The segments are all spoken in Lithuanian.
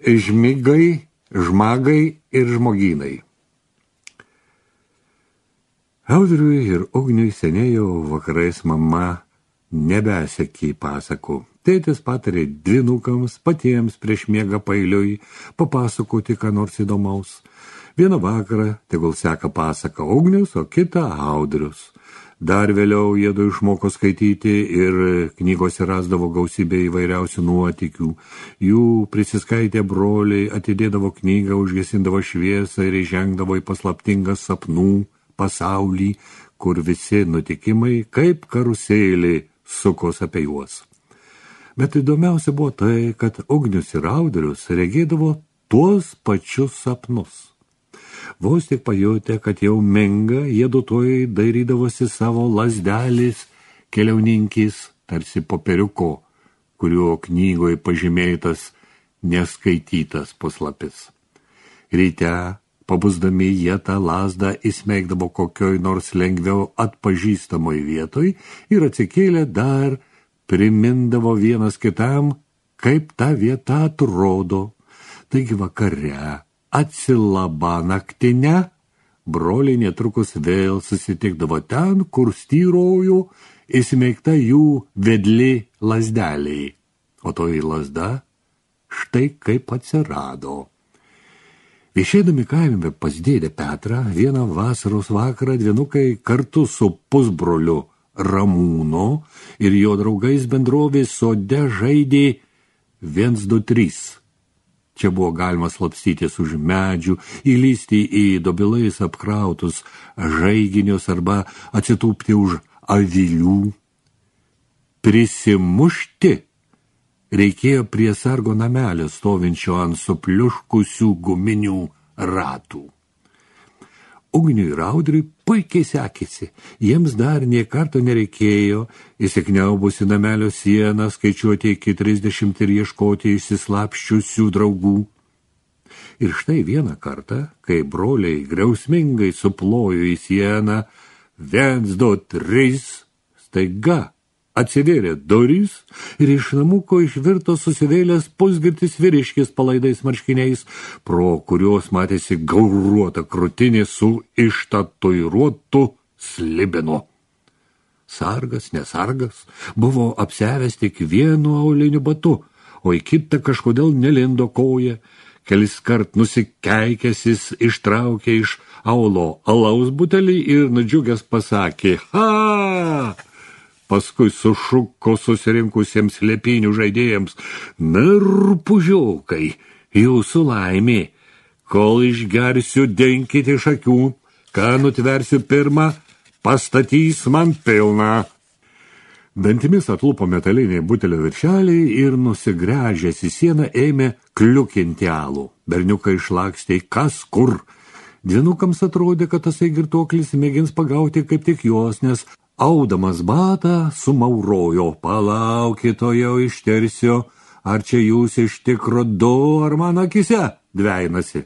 žmigai, žmagai ir žmogynai. Audriui ir Ugniui seniai jau vakarais mama nebesekė pasakų. Tėtis patarė dvynukams patiems prieš miegą pailiui papasakoti ką nors įdomaus. Vieną vakarą tegul seka pasaka Ugnius, o kitą Audrius. Dar vėliau jiedu išmoko skaityti ir knygose rasdavo gausybę įvairiausių nuotykių. Jų prisiskaitę broliai atidėdavo knygą, užgesindavo šviesą ir įžengdavo į paslaptingą sapnų pasaulį, kur visi nutikimai kaip karuselė sukos apie juos. Bet įdomiausia buvo tai, kad Ugnius ir Audrius regėdavo tuos pačius sapnus. Vos tik pajutę, kad jau menga, jie dutojai dairydavosi savo lazdelės keliauninkis, tarsi popieriuko, kuriuo knygoje pažymėtas neskaitytas puslapis. Ryte, pabusdami, jie tą lazdą įsmeigdavo kokioj nors lengviau atpažįstamoj vietoj ir atsikėlę dar primindavo vienas kitam, kaip ta vieta atrodo. Taigi vakare, atsilabą naktinę, broliai netrukus vėl susitikdavo ten, kur styrojo įsmeigta jų vedli lazdeliai. O toji lazda štai kaip atsirado. Viešėdami kaime pas dėdę Petrą, vieną vasaros vakarą dvynukai kartu su pusbroliu Ramūno ir jo draugais bendrovės sode žaidė 1, 2, 3. Čia buvo galima slapstytis už medžių, įlysti į dobilais apkrautus žaiginius arba atsitūpti už avilių. Prisimušti reikėjo prie sargo namelio stovinčio ant supliuškusių guminių ratų. Ugniui ir Audriui puikiai sekėsi. Jiems dar nė karto nereikėjo įsikniaubusi namelio sieną skaičiuoti iki 30 ir ieškoti išsislapščiusių draugų. Ir štai vieną kartą, kai broliai griausmingai suplojo į sieną 1, 2, 3, staiga atsivėrė durys ir iš namuko išvirto susivėlęs pusgirtis vyriškis palaidais marškiniais, pro kurios matėsi gauruota krūtinė su ištatuiruotu slibinu. Sargas, nesargas, buvo apsiavęs tik vienu auliniu batu, o į kitą kažkodėl nelindo koja. Keliskart nusikeikęsis ištraukė iš aulo alaus butelį ir nudžiugęs pasakė: "Ha!" Paskui sušuko susirinkusiems lepinių žaidėjams: "Narpužiokai, jūsų laimė, kol išgersiu, denkite iš akių, ką nutversiu pirmą, pastatys man pilną." Dantimis atlupo metaliniai butelio viršeliai ir nusigręžęs į sieną ėmė kliukinti alų. Berniukai išlakstė kas kur. Dvynukams atrodė, kad tasai girtuoklis mėgins pagauti kaip tik juos, nes audamas batą sumaurojo: "Palaukit, o jau ištersiu, ar čia jūs iš tikro du, ar mano akise dveinasi."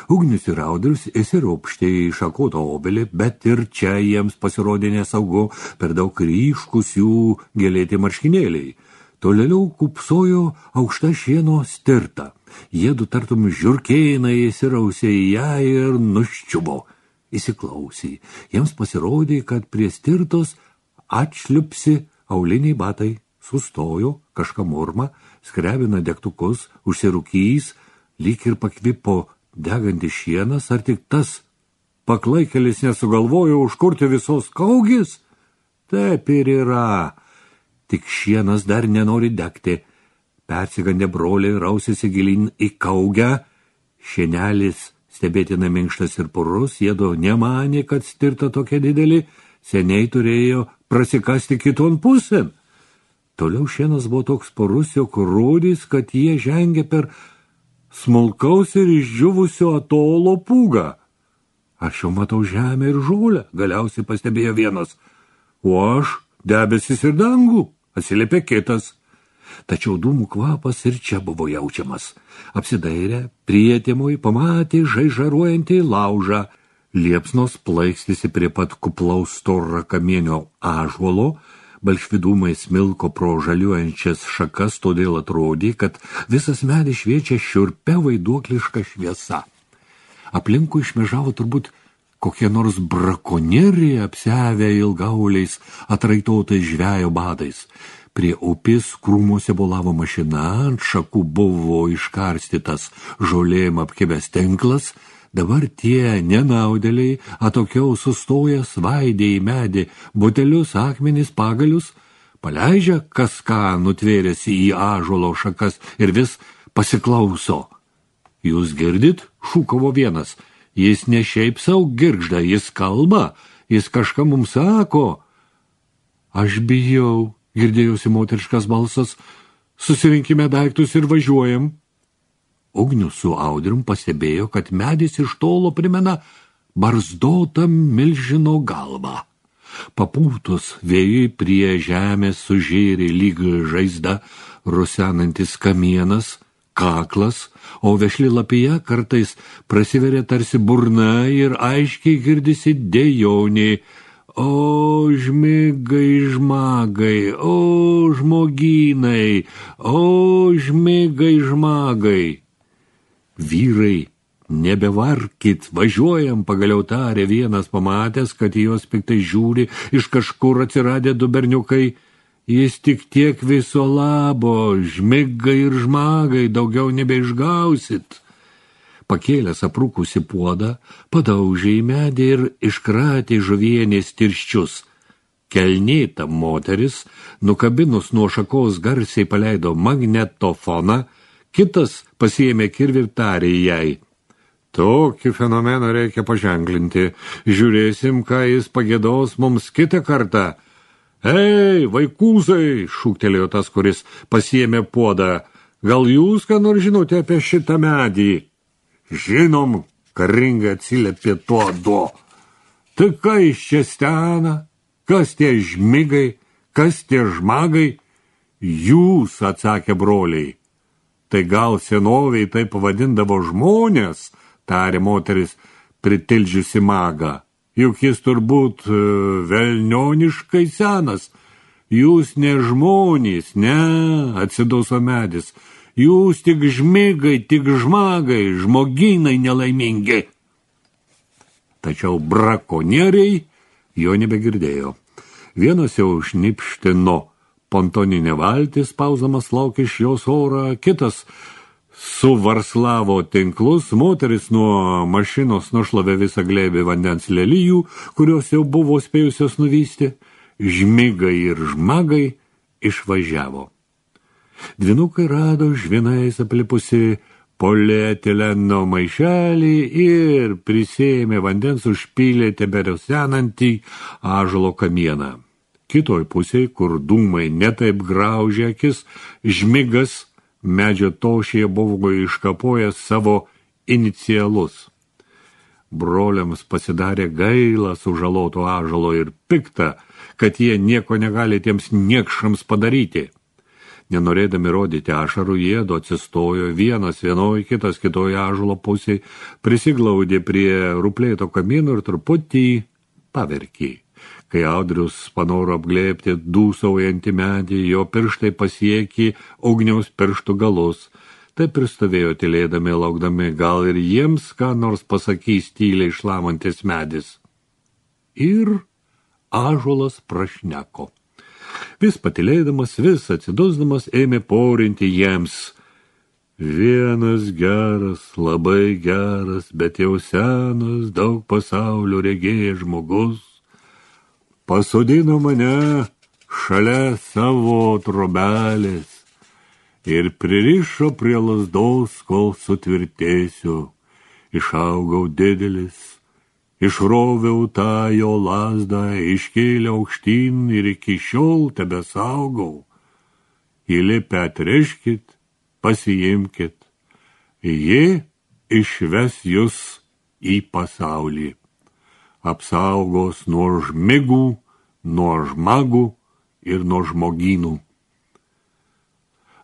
Ugnius ir Audrius įsiropštė į šakotą obelį, bet ir čia jiems pasirodė nesaugu, per daug ryškus jų gėlėti marškinėliai. Tolėliau kupsojo aukšta šieno stirta. Jiedu tartum žiurkėnai įsirausė į ją ir nuščiubo. Įsiklausė. Jiems pasirodė, kad prie stirtos atšliupsi auliniai batai. Sustojo, kažką murma, skrebina degtukus, užsirūkys, lyg ir pakvipo degantis šienas, ar tik tas paklaikelis nesugalvojo užkurti visos kaugės? Taip ir yra. Tik šienas dar nenori degti. Persigandę broliai rausėsi gilin į kaugę. Šienelis stebėtina minkštas ir purus, jiedu nemanė, kad stirta tokia didelė, seniai turėjo prasikasti kiton pusėn. Toliau šienas buvo toks purus, jog rodys, kad jie žengė per smulkaus ir išdžiūvusio atolo pūgą. "Aš jau matau žemę ir žolę", galiausiai pastebėjo vienas. "O aš debesis ir dangų", atsiliepė kitas. Tačiau dūmų kvapas ir čia buvo jaučiamas. Apsidairę, prietimui pamatė žaižaruojantį laužą. Liepsnos plaikstėsi prie pat kuplaus storą kamienio ąžuolo, Balšvidumai smilko pro žaliuojančias šakas, todėl atrodė, kad visas medis šviečia šiurpia vaiduokliška šviesa. Aplinkui šmežavo turbūt kokie nors brakonieriai apsiavę ilgauliais atraitotais žvejo badais. Prie upės krūmuose bolavo mašina, ant šakų buvo iškarstytas žolėm apkibęs tinklas. Dabar tie nenaudėliai atokiau sustoja, svaidė į medį butelius, akmenis, pagalius, paleidžia kas ką nutvėrėsi į ąžuolo šakas ir vis pasiklauso. Jūs girdit? Šūkavo vienas. Jis ne šiaip sau girgžda, jis kalba, jis kažką mums sako. Aš bijau, girdėjosi moteriškas balsas, susirinkime daiktus ir važiuojam. Ugnius su Audrium pastebėjo, kad medis iš tolo primena barzdotą milžino galvą. Papūtus vėjui prie žemės sužėrė lyg žaizda rusenantis kamienas, kaklas, o vešli lapija kartais prasiveria tarsi burna ir aiškiai girdisi dejonė. O žmigai žmagai, o žmogynai, o žmigai žmagai. Vyrai, nebevarkit, važiuojam, pagaliau tarė vienas, pamatęs, kad jos piktai žiūri, iš kažkur atsiradę du berniukai. Jis tik tiek viso labo, žmigai ir žmagai, daugiau nebeišgausit. Pakėlęs aprūkusi puodą, padaužė į medį ir iškratė žuvienės tirščius. Kelnėta moteris, nukabinus nuo šakos garsiai paleido magnetofoną, kitas pasiėmė kirvį ir tarė jai. Tokį fenomeną reikia paženklinti. Žiūrėsim, ką jis pagiedos mums kitą kartą. Ei, vaikūzai, šūktelėjo tas, kuris pasiėmė puodą. Gal jūs ką nors žinote apie šitą medį? Žinom, karingai atsiliepė tuo. Tai ką iš čia stena? Kas tie žmigai? Kas tie žmagai? Jūs, atsakė broliai. Tai gal senoviai taip pavadindavo žmonės, tarė moteris, pritildžiusi magą. Juk jis turbūt velnioniškai senas. Jūs ne žmonės, ne, atsiduso medis. Jūs tik žmigai, tik žmagai, žmogynai nelaimingi. Tačiau brakonieriai jo nebegirdėjo. Vienas jau šnipštino pontoninė valtis, pauzamas laukė iš jos orą, kitas suvarslavo tinklus, moteris nuo mašinos nušlavė visą glėbį vandens lelijų, kurios jau buvo spėjusios nuvysti, žmigai ir žmagai išvažiavo. Dvinukai rado žvinais aplipusi polietileno maišelį ir prisėmė vandens užpylė teberiausenantį ąžuolo kamieną. Kitoj pusėje, kur dūmai netaip graužė akis, žmigas medžio tošėje buvo iškapojęs savo inicialus. Broliams pasidarė gaila sužaloto ąžuolo ir pikta, kad jie nieko negali tiems niekšams padaryti. Nenorėdami rodyti ašarų, jiedu atsistojo, vienas vienoj, kitas kitoj ąžuolo pusėje, prisiglaudė prie ruplėto kamieno ir truputį paverkė. Kai Audrius panoro apglėbti dūsaujantį medį, jo pirštai pasiekė ugniaus pirštų galus. Taip ir stovėjo tylėdami, laukdami, gal ir jiems ką nors pasakys tyliai šlamantis medis. Ir ąžuolas prašneko. Vis patylėdamas, vis atsidusdamas, ėmė porinti jiems. Vienas geras, labai geras, bet jau senas, daug pasaulio regėjęs žmogus pasodino mane šalia savo trobelės ir pririšo prie lazdos, kol sutvirtėsiu. Išaugau didelis, išroviau tą jo lazdą, iškėliau aukštyn ir iki šiol tebesaugau. Įlipę atreškit, pasiimkit, ji išves jūs į pasaulį. Apsaugos nuo žmigų, nuo žmagų ir nuo žmogynų.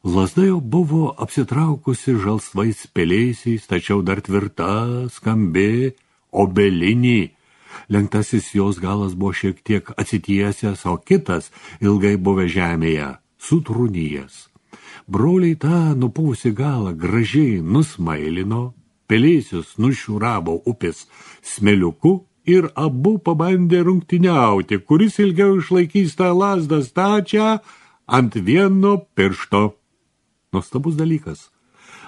Lazda jau buvo apsitraukusi žalsvais pelėsiais, tačiau dar tvirta, skambi, obelinė. Lenktasis jos galas buvo šiek tiek atsitiesęs, o kitas ilgai buvę žemėje, sutrūnyjęs. Broliai tą nupuvusi galą gražiai nusmailino, pelėsius nušiuravo upės smėliuku ir abu pabandė rungtyniauti, kuris ilgiau išlaikys tą lazdą stačią ant vieno piršto. Nuostabus dalykas.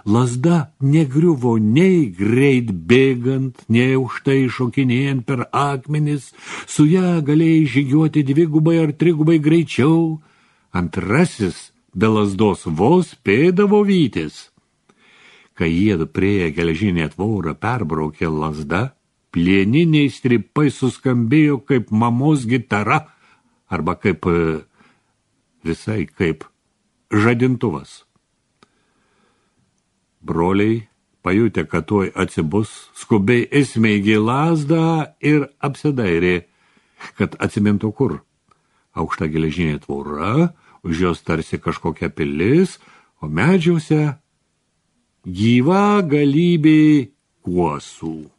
Lazda negriuvo nei greit bėgant, nei aukštai šokinėjant per akmenis, su ją galėjai žygiuoti dvigubai ar trigubai greičiau. Antrasis be lazdos vos spėdavo vytis. Kai jiedu prieė geležinę tvorą perbraukė lazda, plieniniai stripai suskambėjo kaip mamos gitara arba kaip visai kaip žadintuvas. Broliai, pajutę, kad tuoj atsibus, skubiai įsmeigė lazdą ir apsidairė, kad atsimintų kur. Aukšta geležinė tvora, už jos tarsi kažkokia pilis, o medžiuose gyva galybė kuosų.